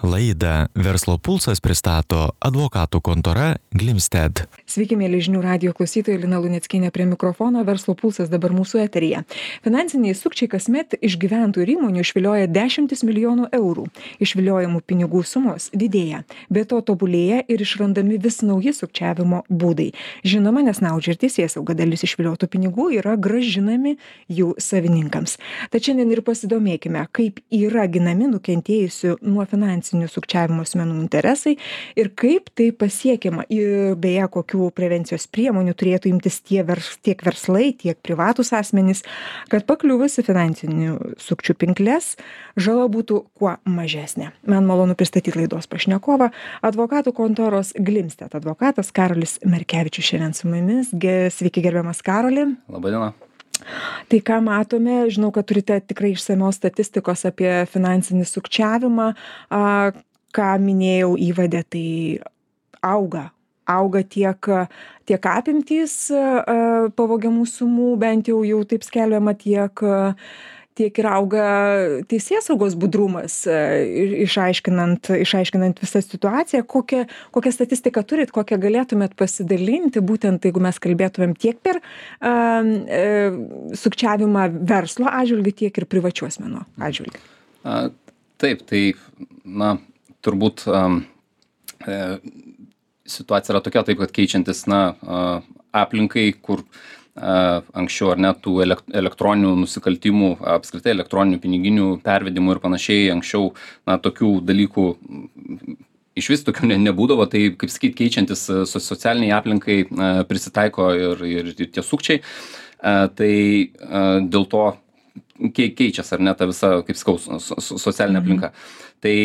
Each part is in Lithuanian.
Laidą Verslo pulsas pristato advokatų kontora Glimstead. Sveiki, mėly žinių radijo klausytojai, Lina Luneckienė prie mikrofono, Verslo pulsas dabar mūsų eteryje. Finansiniai sukčiai kasmet iš gyventojų ir įmonių išvilioja dešimtis milijonų eurų. Išviliojamų pinigų sumos didėja. Be to tobulėja ir išrandami vis nauji sukčiavimo būdai. Žinoma, nesnaudžia ir teisėsauga, dalis išviliotų pinigų yra grąžinami jų savininkams. Tačiau šiandien ir pasidomėkime, kaip yra ginami nukentėjusių nuo finansinių sukčiavimo asmenų interesai ir kaip tai pasiekiama. Ir beje, kokių prevencijos priemonių turėtų imtis tiek verslai, tiek privatūs asmenys, kad pakliuvus į finansinių sukčių pinkles, žala būtų kuo mažesnė. Man malonu pristatyti laidos pašnekovą, advokatų kontoros Glimstead advokatas Karolis Merkevičius šiandien su mumis. Sveiki, gerbiamas Karoli. Labadiena. Tai ką matome, žinau, kad turite tikrai išsamios statistikos apie finansinį sukčiavimą. Ką minėjau įvade, tai auga tiek apimtys pavogiamų sumų, bent jau taip skelbiama, tiek ir auga teisėsaugos budrumas, išaiškinant visą situaciją. Kokią statistiką turit, kokią galėtumėt pasidalinti, būtent jeigu mes kalbėtumėm tiek per sukčiavimą verslo atžvilgiu, tiek ir privačių asmenų atžvilgiu? Taip, tai turbūt situacija yra tokia, taip, kad keičiantis aplinkai, kur anksčiau ar net tų elektroninių nusikaltimų, apskritai elektroninių piniginių pervedimų ir panašiai, anksčiau tokių dalykų iš vis tokių nebūdavo, tai kaip sakyt, keičiantis socialiniai aplinkai prisitaiko ir tie sukčiai, tai dėl to keičiasi ar ne ta visa, kaip sakau, socialinė aplinka. Tai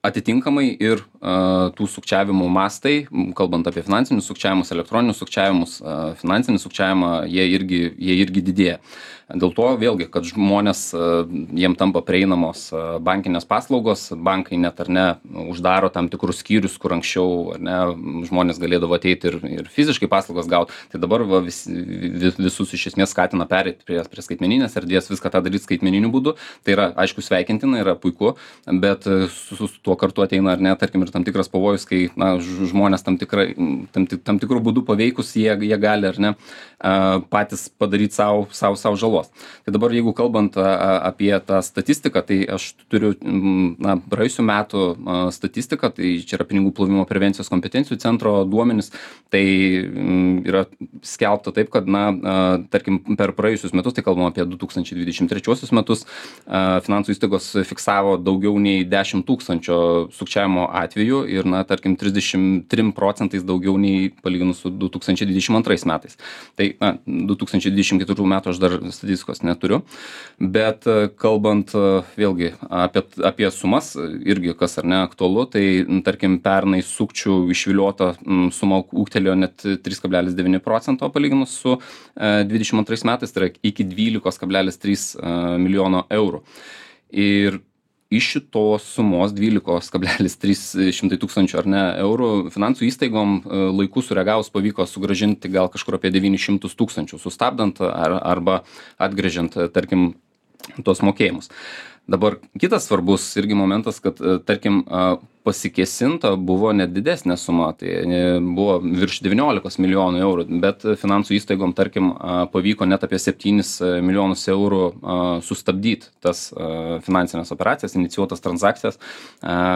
atitinkamai ir tų sukčiavimų mastai, kalbant apie finansinius sukčiavimus, elektroninius sukčiavimus, finansinį sukčiavimą, jie irgi didėja. Dėl to vėlgi, kad žmonės, jiem tampa prieinamos bankinės paslaugos, bankai net ar ne uždaro tam tikrus skyrius, kur anksčiau ar ne žmonės galėdavo ateiti ir fiziškai paslaugas gauti. Tai dabar visus iš esmės skatina pereiti prie skaitmeninės erdvės, viską tą daryti skaitmeniniu būdu. Tai yra, aišku, sveikintina, yra puiku, bet su tuo kartu ateina ar ne, tarkim, ir tam tikras pavojus, kai žmonės tam tikrų būdų paveikus, jie gali ar ne patys padaryti savo žalos. Tai dabar, jeigu kalbant apie tą statistiką, tai aš turiu praėjusių metų statistiką, tai čia yra pinigų plovimo prevencijos kompetencijų centro duomenys, tai yra skelbta taip, kad tarkim, per praėjusius metus, tai kalbam apie 2023 metus, finansų įstaigos fiksavo daugiau nei 10 000 sukčiavimo atvejų ir, tarkim, 33% daugiau nei palyginus su 2022 metais. Tai 2024 metų aš dar statistikos neturiu, bet kalbant vėlgi apie sumas, irgi kas ar ne aktualu, tai tarkim pernai sukčių išviliota suma ūgtelėjo net 3,9% palyginus su 22 metais, tai yra iki 12,3 milijono eurų. Ir iš šitos sumos 12,3 tūkstančių ar ne eurų finansų įstaigom laiku sureagavus pavyko sugrąžinti gal kažkur apie 900 tūkstančių, sustabdant arba atgręžiant, tarkim, tos mokėjimus. Dabar kitas svarbus irgi momentas, kad, tarkim, pasikėsinta buvo net didesnė suma, tai buvo virš 19 milijonų eurų, bet finansų įstaigom, tarkim, pavyko net apie 7 milijonus eurų sustabdyti tas finansinės operacijas, inicijuotas transakcijas,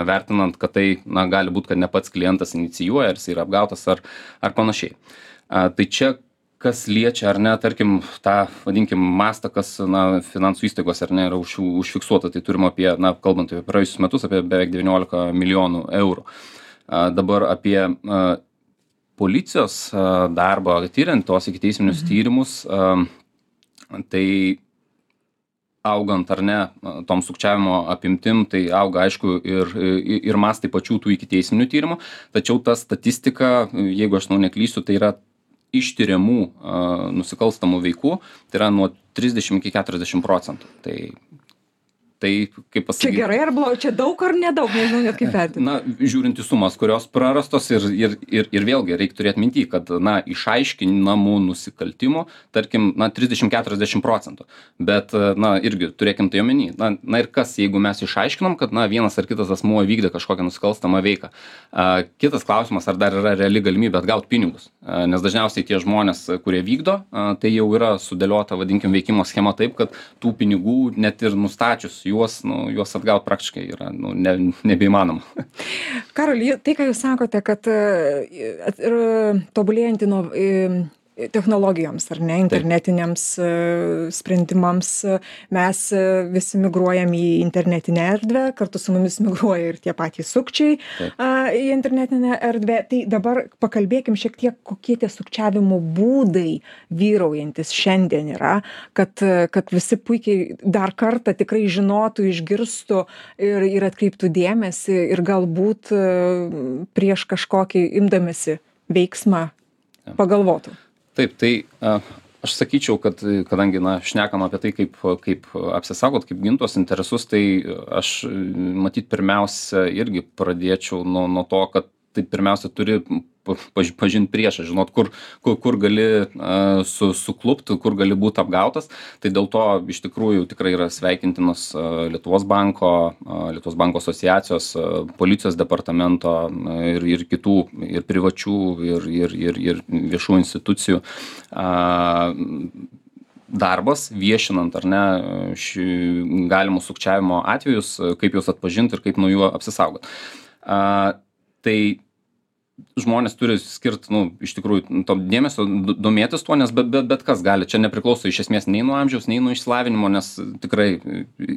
vertinant, kad tai gali būti, kad ne pats klientas inicijuoja, ar jis yra apgautas ar panašiai. Tai čia kas liečia ar ne, tarkim, tą, vadinkim, mastą, kas finansų įstaigos ar ne yra užfiksuota, tai turim apie, kalbant apie praėjusius metus, apie beveik 19 milijonų eurų. Dabar apie policijos darbą, tyriant tos ikiteisminius tyrimus, tai augant ar ne tom sukčiavimo apimtim, tai auga, aišku, ir mastai pačių tų ikiteisminių tyrimų, tačiau ta statistika, jeigu aš neklysiu, tai yra ištiriamų nusikalstamų veikų, tai yra nuo 30 iki 40%. Tai Tai, kaip pasakyti. Čia gerai ar blogai, čia daug ar nedaug, nežinau net kaip vertinti. Na, žiūrint į sumas, kurios prarastos ir vėlgi reikia turėti minty, kad, na, išaiškinamų nusikaltimų, tarkim, na, 30-40%. Bet, na, irgi turėkim tai omeny. Na ir kas, jeigu mes išaiškinom, kad, na, vienas ar kitas asmuo vykdė kažkokią nusikalstamą veiką. Kitas klausimas, ar dar yra reali galimybė atgauti pinigus. Nes dažniausiai tie žmonės, kurie vykdo, tai jau yra sudėliota, vadinkim, veikimo schema taip, kad tų pinigų net ir nustačius juos atgauti praktiškai yra nebeįmanoma. Karoli, tai, ką jūs sakote, kad tobulėjant technologijoms ar ne, internetiniams sprendimams, mes visi migruojam į internetinę erdvę, kartu su mumis migruoja ir tie patys sukčiai į internetinę erdvę. Tai dabar pakalbėkim šiek tiek, kokie tie sukčiavimo būdai vyraujantis šiandien yra, kad visi puikiai dar kartą tikrai žinotų, išgirstų ir atkreiptų dėmesį ir galbūt prieš kažkokį imdamėsi veiksmą pagalvotų. Taip, tai aš sakyčiau, kad kadangi, na, šnekam apie tai, kaip apsisaugot, kaip gintos interesus, tai aš matyt pirmiausia irgi pradėčiau nuo to, kad tai pirmiausia turi pažinti priešą, žinot, kur gali suklupti, kur gali būti apgautas. Tai dėl to iš tikrųjų tikrai yra sveikintinos Lietuvos banko asociacijos, policijos departamento ir kitų, ir privačių, ir viešų institucijų darbas, viešinant ar ne galimus sukčiavimo atvejus, kaip juos atpažinti ir kaip nuo jų apsisaugot. Tai žmonės turi skirti, iš tikrųjų, to dėmesio, domėtis tuo, nes bet kas gali. Čia nepriklauso iš esmės nei nuo amžiaus, nei nuo išsilavinimo, nes tikrai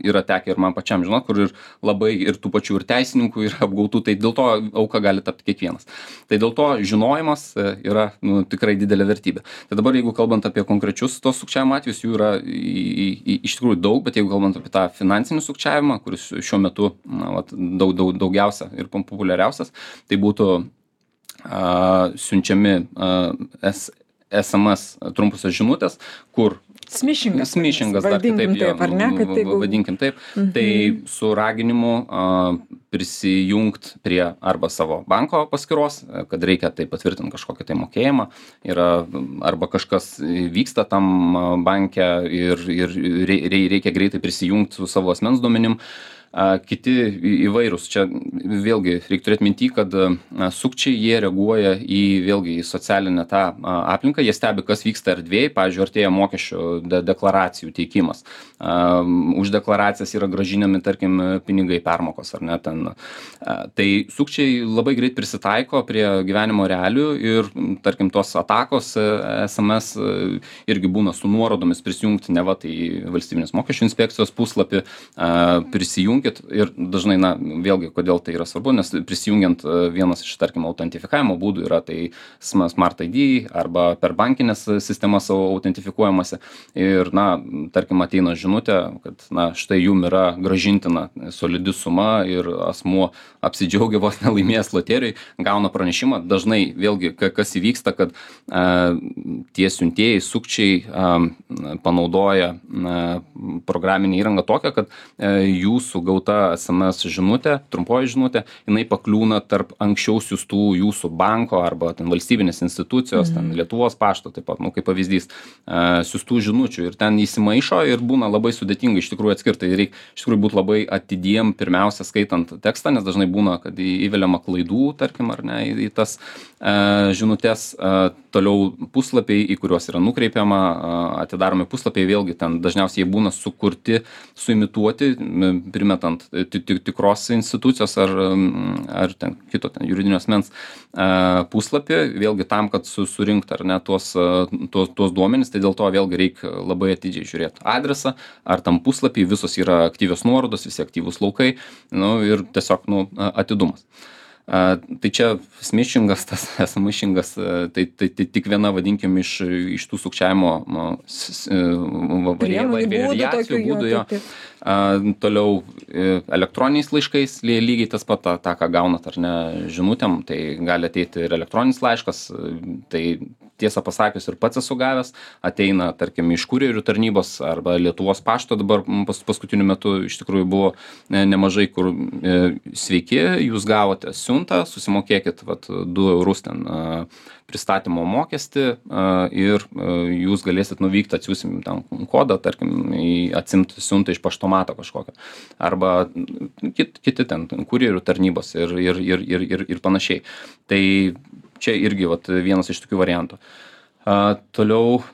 yra tekę ir man pačiam žinot, kur ir labai ir tų pačių ir teisininkų yra apgautų, tai dėl to auka gali tapti kiekvienas. Tai dėl to žinojimas yra tikrai didelė vertybė. Tai dabar, jeigu kalbant apie konkrečius tos sukčiavimo atvejus, jų yra iš tikrųjų daug, bet jeigu kalbant apie tą finansinį sukčiavimą, kuris šiuo metu daugiausia ir populiariausias, tai būtų siunčiami SMS trumpusios žinutės, kur smishingas dar kitaip, vadinkim taip. Tai su raginimu prisijungt prie arba savo banko paskyros, kad reikia tai patvirtinti kažkokį tai mokėjimą, arba kažkas vyksta tam banke ir reikia greitai prisijungti su savo asmens duomenim. Kiti įvairūs. Čia vėlgi reikia turėti minty, kad sukčiai jie reaguoja į socialinę tą aplinką, jie stebi, kas vyksta erdvėje, pavyzdžiui, artėja mokesčių deklaracijų teikimas. Už deklaracijas yra grąžinami, tarkim, pinigai permokos, ar ne ten. Tai sukčiai labai greit prisitaiko prie gyvenimo realių ir, tarkim, tos atakos SMS irgi būna su nuorodomis prisijungti, neva tai valstybinės mokesčių inspekcijos puslapį prisijungti. Ir dažnai, vėlgi, kodėl tai yra svarbu, nes prisijungiant vienas iš, tarkim, autentifikavimo būdų yra tai Smart ID arba per bankinės sistemas autentifikuojamasi ir, tarkim, ateina žinutė, kad, štai jum yra grąžintina solidi suma ir asmuo apsidžiaugia vos nelaimėjęs loterijai, gauna pranešimą. Dažnai, vėlgi, kas įvyksta, kad tie siuntėjai, sukčiai panaudoja programinę įrangą tokią, kad jūsų gauta SMS žinutė, trumpoji žinutė, jinai pakliūna tarp anksčiau siųstų jūsų banko arba ten valstybinės institucijos, ten Lietuvos pašto, taip pat, kaip pavyzdys, siųstų žinučių ir ten įsimaišo ir būna labai sudėtinga iš tikrųjų atskirti. Reikia iš tikrųjų būti labai atidiem pirmiausia skaitant tekstą, nes dažnai būna, kad įveliama klaidų, tarkim, ar ne, į tas žinutės. Toliau puslapiai, į kuriuos yra nukreipiama, atidaromi puslapiai, vėlgi ten dažniausiai jie būna sukurti, suimituoti, primetant tikros institucijos ar ten kito ten juridinio asmens puslapį, vėlgi tam, kad surinkti ar ne tuos duomenis, tai dėl to vėlgi reikia labai atidžiai žiūrėti adresą, ar tam puslapį visos yra aktyvios nuorodos, visi aktyvūs laukai, ir tiesiog atidumas. Tai čia smišingas, tas smišingas, tai tik viena, vadinkim, iš tų sukčiavimo variacijų būdų jo. Toliau elektroniniais laiškais lygiai tas pat, tą ką gaunat ar ne žinutėm, tai gali ateiti ir elektroninis laiškas, tai tiesą pasakius ir pats esu gavęs, ateina, tarkim, iš kurjerių tarnybos arba Lietuvos pašto dabar paskutiniu metu iš tikrųjų buvo nemažai, kur sveiki, jūs gavote siuntą, susimokėkit 2 eurus ten pristatymo mokestį ir jūs galėsit nuvykti, atsiųsim ten kodą, tarkim, atsimti siuntą iš paštomato kažkokio. Arba kiti ten kurjerių tarnybos ir panašiai. Tai čia irgi vienas iš tokių variantų. Toliau,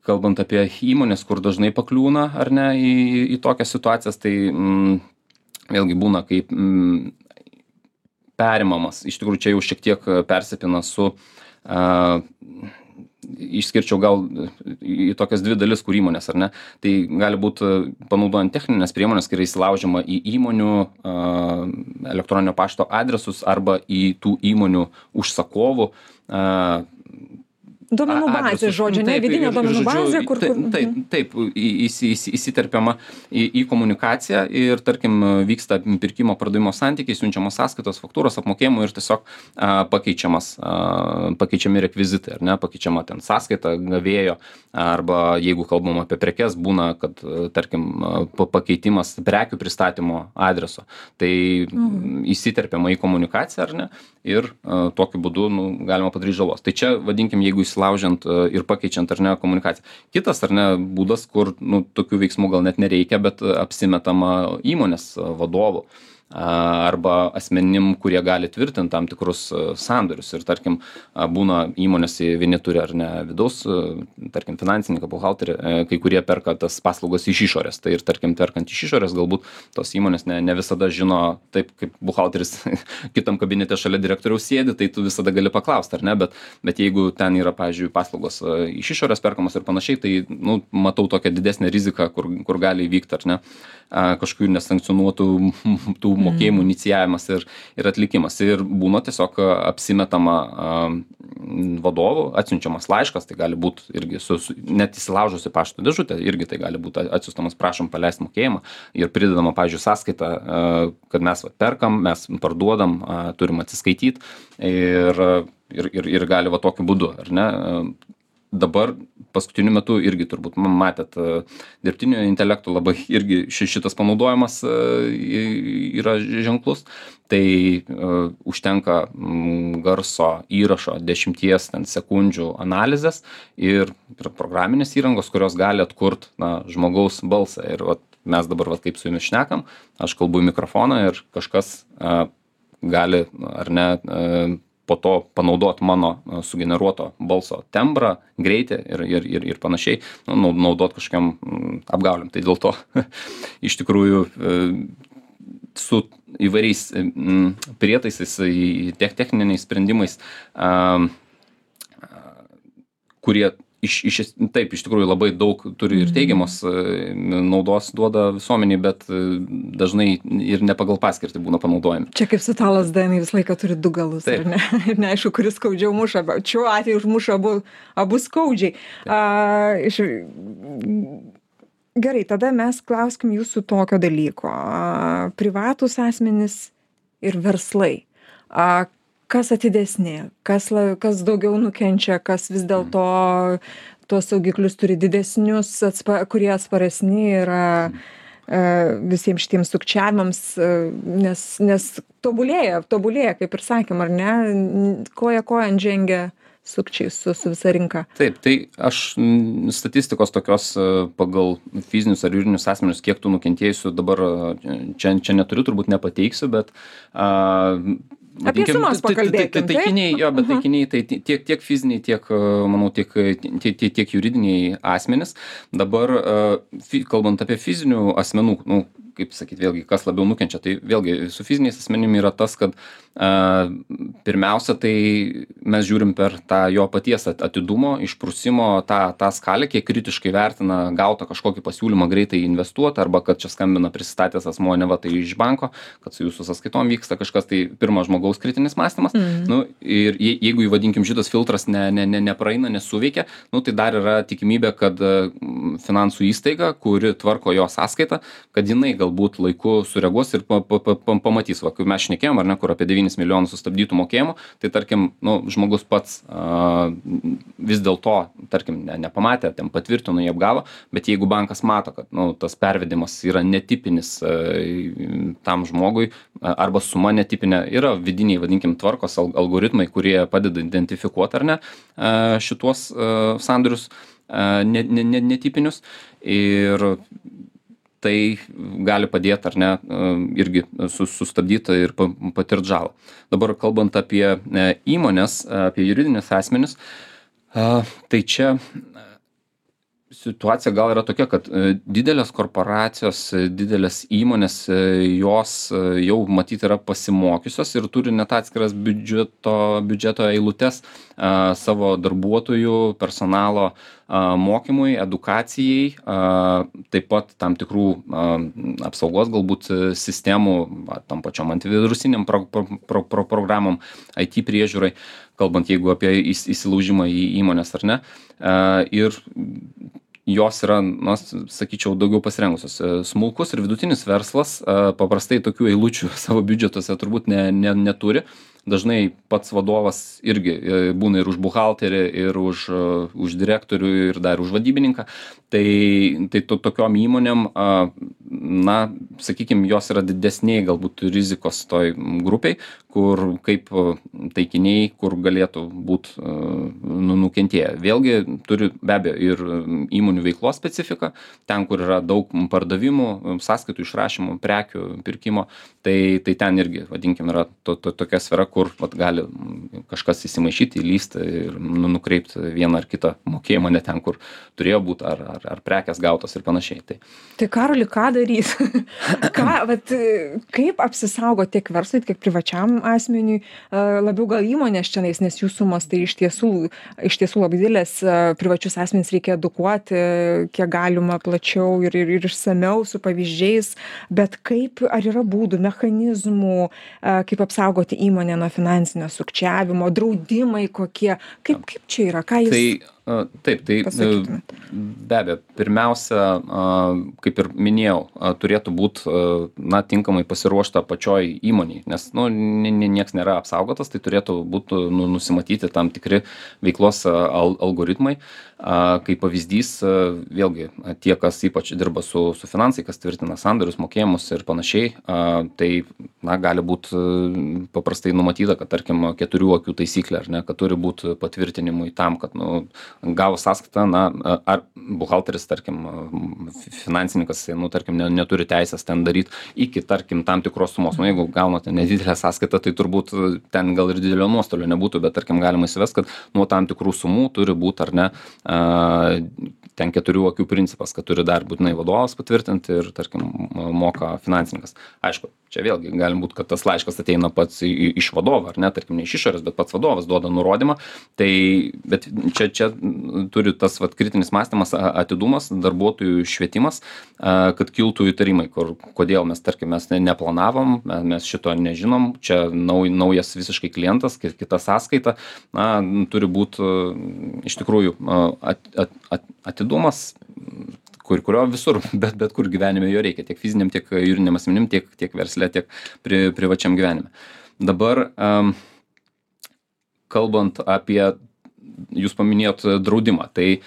kalbant apie įmonės, kur dažnai pakliūna ar ne į tokias situacijas, tai vėlgi būna kaip perimamas. Iš tikrųjų, čia jau šiek tiek persipina su išskirčiau gal į tokias 2 dalis, kur įmonės, ar ne. Tai gali būti panaudojant techninės priemonės, kai yra įsilaužiama į įmonių elektroninio pašto adresus arba į tų įmonių užsakovų duomenų bazė, žodžiu, ne vidinė duomenų bazė, kur... Taip, įsiterpiama į komunikaciją ir, tarkim, vyksta pirkimo pardavimo santykiai, siunčiamos sąskaitos, faktūros, apmokėjimų ir tiesiog pakeičiami rekvizitai, ar ne, pakeičiama ten sąskaita gavėjo, arba jeigu kalbam apie prekes, būna, kad, tarkim, pakeitimas prekių pristatymo adreso, tai įsiterpiama į komunikaciją, ar ne, ir tokiu būdu galima padaryti žalos. Tai čia, vadinkim, jeigu įsilaužiant ir pakeičiant ar ne komunikaciją. Kitas ar ne būdas, kur tokių veiksmų gal net nereikia, bet apsimetama įmonės vadovų arba asmenim, kurie gali tvirtinti tam tikrus sandorius. Ir tarkim, būna įmonės, vieni turi ar ne vidaus, tarkim, finansininką, buhalterį, kai kurie perka tas paslaugas iš išorės. Tai ir tarkim, perkant iš išorės, galbūt tos įmonės ne visada žino, taip kaip buhalteris kitam kabinete šalia direktoriaus sėdi, tai tu visada gali paklausti, ar ne, bet jeigu ten yra, pavyzdžiui, paslaugos iš išorės perkamos ir panašiai, tai matau tokią didesnę riziką, kur gali įvykti, ar ne, kažkokių nesankcionuotų tų mokėjimų inicijavimas ir atlikimas. Ir būna tiesiog apsimetama vadovų, atsiunčiamas laiškas, tai gali būti irgi net įsilaužusi pašto dėžutę, irgi tai gali būti atsiųstamas, prašom paleisti mokėjimą ir pridedama, pavyzdžiui, sąskaita, kad mes perkam, mes parduodam, turim atsiskaityti ir gali tokiu būdu, ar ne. Dabar paskutiniu metu irgi turbūt matėt dirbtinio intelekto labai irgi šitas panaudojimas yra ženklus. Tai užtenka garso įrašo 10 sekundžių analizės ir programinės įrangos, kurios gali atkurt žmogaus balsą. Ir mes dabar kaip su jumis šnekam, aš kalbu į mikrofoną ir kažkas gali ar ne po to panaudot mano sugeneruoto balso tembrą, greitį ir panašiai, naudot kažkokiam apgauliam. Tai dėl to iš tikrųjų su įvairiais prietaisais, techniniais sprendimais, kurie taip, iš tikrųjų labai daug turi ir teigiamos naudos duoda visuomeniai, bet dažnai ir ne pagal paskirtį būna panaudojami. Čia kaip su ta lazda, jinai visą laiką turi 2 galus, ar ne? Ir neaišku, kuris skaudžiau muša, bet šiuo atveju užmuša abu skaudžiai. Gerai, tada mes klauskim jūsų tokio dalyko. Privatūs asmenys ir verslai. Kas atidesnė, kas daugiau nukenčia, kas vis dėlto tuos saugiklius turi didesnius, kurie atsparesni yra visiems šitiems sukčiavimams, nes tobulėja, kaip ir sakėm, ar ne, koja kojan žengia sukčiai su visa rinka. Taip, tai aš statistikos tokios pagal fizinius ar juridinius asmenius, kiek tų nukentėjusių dabar čia neturiu, turbūt nepateiksiu, bet apie sumas pakalbėkim. Taikiniai, bet taikiniai tai tiek fiziniai, tiek, manau, tiek juridiniai asmenys. Dabar, kalbant apie fizinių asmenų, kaip sakyt, vėlgi, kas labiau nukenčia. Tai vėlgi su fiziniais asmenim yra tas, kad pirmiausia, tai mes žiūrim per tą jo paties atidumo, išprusimo tą skalę, kiek kritiškai vertina gautą kažkokį pasiūlymą greitai investuoti, arba kad čia skambina prisistatęs asmuo, ne va tai iš banko, kad su jūsų sąskaitom vyksta kažkas, tai pirmas žmogaus kritinis mąstymas. Nu, ir jeigu įvadinkim šitas filtras nepraeina, nesuveikia, nu, tai dar yra tikimybė, kad finansų įstaiga, kuri tvarko jo sąskaitą, kad jinai galbūt laiku sureaguos ir pamatys, va, kai mes šnekėjom, ar ne, kur apie 9 milijonų sustabdytų mokėjimų, tai tarkim, nu, žmogus pats vis dėlto, tarkim, nepamatė, ten patvirtino, jį apgavo, bet jeigu bankas mato, kad, nu, tas pervedimas yra netipinis tam žmogui, arba suma netipinė, yra vidiniai, vadinkim, tvarkos algoritmai, kurie padeda identifikuoti, ar ne, šituos sandorius netipinius, ir tai gali padėti, ar ne, irgi sustabdyti ir patirti žalą. Dabar kalbant apie įmonės, apie juridinius asmenis, tai čia situacija gal yra tokia, kad didelės korporacijos, didelės įmonės, jos jau matyti yra pasimokiusios ir turi net atskiras biudžeto eilutes savo darbuotojų, personalo mokymui, edukacijai, taip pat tam tikrų apsaugos galbūt sistemų, tam pačiom antivirusiniam programom, IT priežiūrai, kalbant jeigu apie įsilaužimą į įmonės ar ne. Ir jos yra, na, sakyčiau, daugiau pasirengusios. Smulkus ir vidutinis verslas paprastai tokių eilučių savo biudžetuose turbūt neturi. Dažnai pats vadovas irgi būna ir už buhalterį, ir už direktorių, ir dar už vadybininką. Tai tokiom įmonėm, na, sakykime, jos yra didesniai galbūt rizikos toj grupiai, kur kaip taikiniai, kur galėtų būti nukentėję. Vėlgi turi be abejo ir įmonių veiklos specifiką, ten, kur yra daug pardavimų, sąskaitų išrašymų, prekių pirkimo, tai ten irgi, vadinkim, yra tokia sfera, kur gali kažkas įsimaišyti, įlysti ir nukreipti vieną ar kitą mokėjimą ne ten, kur turėjo būti, ar prekės gautos ir panašiai. Tai Karoli, ką darys? Kaip apsisaugoti tiek verslui, tiek privačiam asmeniui, labiau gal įmonės čionais, nes jų sumos tai iš tiesų labai didelės, privačius asmenys reikia edukuoti, kiek galima plačiau ir išsamiau su pavyzdžiais, bet kaip, ar yra būdų, mechanizmų, kaip apsaugoti įmonę nuo finansinio sukčiavimo, draudimai kokie, kaip čia yra, ką jūs... Taip, tai be abejo, pirmiausia, kaip ir minėjau, turėtų būti, na, tinkamai pasiruošta pačioj įmoniai, nes, nu, nieks nėra apsaugotas, tai turėtų būti nusimatyti tam tikri veiklos algoritmai. Kaip pavyzdys, vėlgi, tie, kas ypač dirba su finansai, kas tvirtina sandorius, mokėjimus ir panašiai, tai, na, gali būti paprastai numatyta, kad, tarkim, 4 akių taisyklė, ar ne, kad turi būti patvirtinimui tam, kad, nu, gavo sąskaitą, na, ar buhalteris, tarkim, finansininkas, nu, tarkim, neturi teisės ten daryti iki, tarkim, tam tikros sumos. Nu, jeigu gaunate nedidelę sąskaitą, tai turbūt ten gal ir didelio nuostolio nebūtų, bet, tarkim, galima įsivesti, kad nuo tam tikrų sumų turi būti, ar ne, ten 4 akių principas, kad turi dar būtinai vadovas patvirtinti ir, tarkim, moka finansininkas. Aišku, čia vėlgi galim būti, kad tas laiškas ateina pats iš vadovo, ar ne, tarkim, ne iš išorės, bet pats vadovas duoda nurodymą. Tai, bet čia turi tas kritinis mąstymas, atidumas, darbuotojų švietimas, kad kiltų įtarimai, kodėl mes, tarkim, mes neplanavom, mes šito nežinom, čia naujas visiškai klientas, kita sąskaita, na, turi būti iš tikrųjų atidumas, kurio visur, bet kur gyvenime jo reikia, tiek fiziniam, tiek juridiniam asmenim, tiek versle, tiek privačiam gyvenime. Dabar, kalbant apie, jūs paminėjot draudimą, tai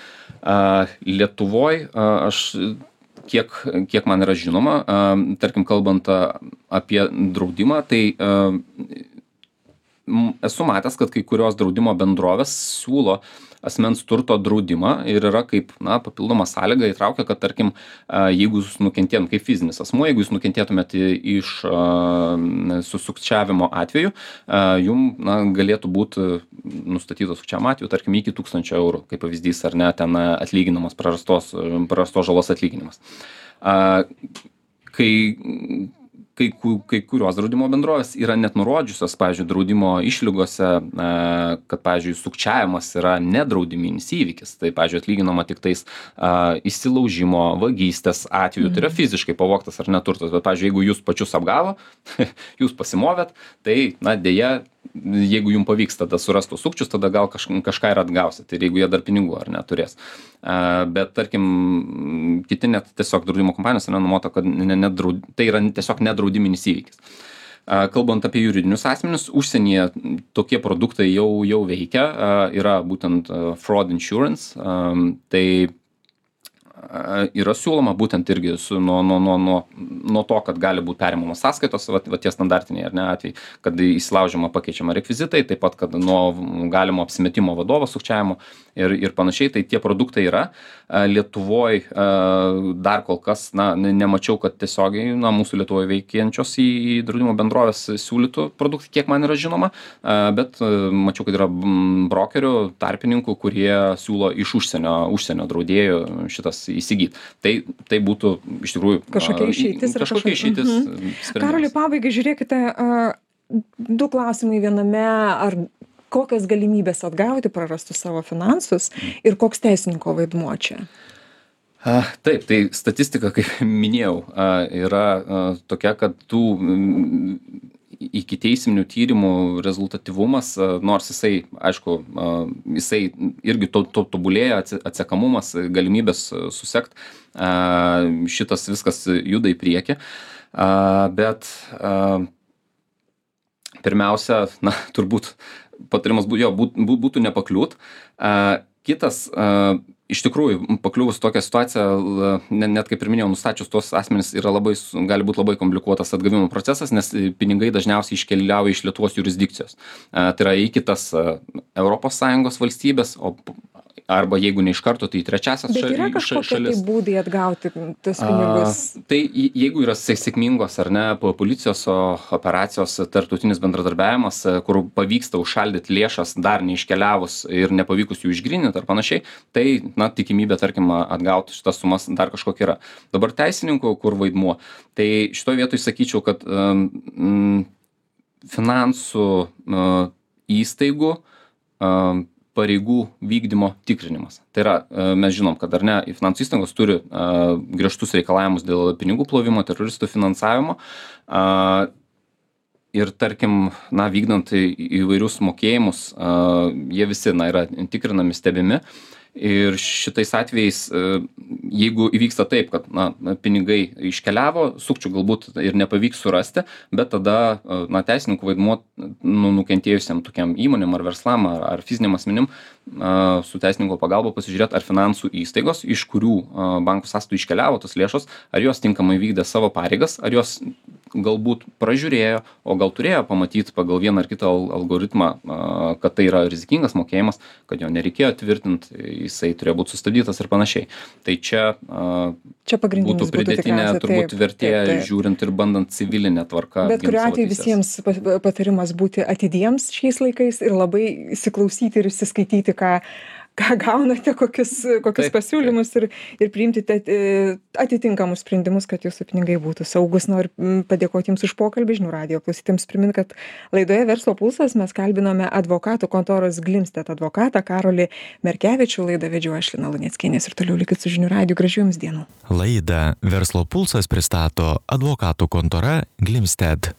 Lietuvoj aš, kiek man yra žinoma, tarkim, kalbant apie draudimą, tai esu matęs, kad kai kurios draudimo bendrovės siūlo asmens turto draudimą ir yra kaip, na, papildoma sąlyga įtraukia, kad, tarkim, jeigu jūs nukentėtum kaip fizinis asmuo, jeigu jūs nukentėtumėt iš sukčiavimo atveju, jum, na, galėtų būti nustatytos sukčiavimo atveju, tarkim, iki 1000 eurų, kaip pavyzdys, ar ne, ten atlyginamas prarastos žalos atlyginimas. kai kurios draudimo bendrovės yra net nurodžiusios, pavyzdžiui, draudimo išlygose, kad, pavyzdžiui, sukčiavimas yra nedraudiminis įvykis. Tai, pavyzdžiui, atlyginama tik tais įsilaužimo, vagystės atveju. Tai yra fiziškai pavogtas ar neturtas. Bet, pavyzdžiui, jeigu jūs pačius apgavo, jūs pasimovėt, tai, dėja, jeigu jums pavyks tada surasti sukčius, tada gal kažką ir atgausit. Ir jeigu jie dar pinigų ar neturės. Bet, tarkim, kiti net tiesiog draudimo kompanijos yra numota, kad tai yra tiesiog nedraudiminis įvykis. Kalbant apie juridinius asmenis, užsienyje tokie produktai jau veikia, yra būtent fraud insurance, tai yra siūloma būtent irgi nuo to, kad gali būti perimamos sąskaitos, va tie standartiniai ar ne atvejai, kad įsilaužiama pakeičiama rekvizitai, taip pat, kad nuo galimo apsimetimo vadovo sukčiavimo ir panašiai, tai tie produktai yra. Lietuvoj dar kol kas, nemačiau, kad tiesiogiai, mūsų Lietuvoje veikiančios į draudimo bendrovės siūlytų produktai, kiek man yra žinoma, bet mačiau, kad yra brokerių, tarpininkų, kurie siūlo iš užsienio draudėjų šitas įsigyti. Tai būtų iš tikrųjų kažkokia išeitis. Sprendimas. Karoli, pabaigai žiūrėkite, 2 klausimai viename, ar kokios galimybės atgauti prarastus savo finansus ir koks teisininko vaidmuo čia? Taip, tai statistika, kaip minėjau, yra tokia, kad tų ikiteisminių tyrimų rezultatyvumas, nors jisai, aišku, jisai irgi tobulėja, atsekamumas, galimybės susekt, šitas viskas juda į priekį, bet pirmiausia, turbūt patarimas būtų nepakliūt. Kitas, iš tikrųjų, pakliuvus tokią situaciją, net kaip ir minėjau, nustačius tuos asmenis gali būti labai komplikuotas atgavimo procesas, nes pinigai dažniausiai iškeliauja iš Lietuvos jurisdikcijos. Tai yra į kitas ES valstybės, arba jeigu ne iš karto, tai į trečiasias šalis. Bet yra kažkokie būdai atgauti tos pinigus? Tai jeigu yra sėkmingos ar ne policijos operacijos, tarptautinis bendradarbiavimas, kur pavyksta užšaldyti lėšas dar neiškeliavus ir nepavykus jų išgryninti ar panašiai, tai tikimybė, tarkim, atgauti šitas sumas dar kažkokia yra. Dabar teisininkų, kur vaidmuo, tai šitoje vietoje sakyčiau, kad finansų įstaigų pareigų vykdymo tikrinimas. Tai yra, mes žinom, kad ar ne, finansų įstaigos turi griežtus reikalavimus dėl pinigų plovimo, teroristų finansavimo ir, tarkim, vykdant įvairius mokėjimus, jie visi yra tikrinami, stebimi. Ir šitais atvejais, jeigu įvyksta taip, kad pinigai iškeliavo, sukčių galbūt ir nepavyks surasti, bet tada teisininkų vaidmuo nukentėjusiam tokiam įmonėm ar verslam ar fiziniam asmenim su teisininko pagalba pasižiūrėti, ar finansų įstaigos, iš kurių bankų sąskaitų iškeliavo tos lėšos, ar jos tinkamai vykdė savo pareigas, ar jos galbūt pražiūrėjo, o gal turėjo pamatyti pagal vieną ar kitą algoritmą, kad tai yra rizikingas mokėjimas, kad jo nereikėjo tvirtinti, jisai turėjo būti sustabdytas ir panašiai. Tai čia būtų pridėtinė turbūt vertė, žiūrint ir bandant civilinę tvarką. Bet kuriuo atveju visiems patarimas būti atidiems šiais laikais ir labai įsiklausyti ir įsiskaityti, ką gaunate, kokius pasiūlymus ir priimti atitinkamus sprendimus, kad jūsų pinigai būtų saugus. Noriu padėkoti Jums už pokalbį. Žinių radijo klausytėms primint, kad laidoje Verslo pulsas mes kalbinome advokatų kontoros Glimstedt advokatą Karolį Merkevičių. Laidą vedžiau aš, Lina Luneckienė, ir toliau likit su Žinių radiju. Gražių Jums dienų. Laidą Verslo pulsas pristato advokatų kontora Glimstedt.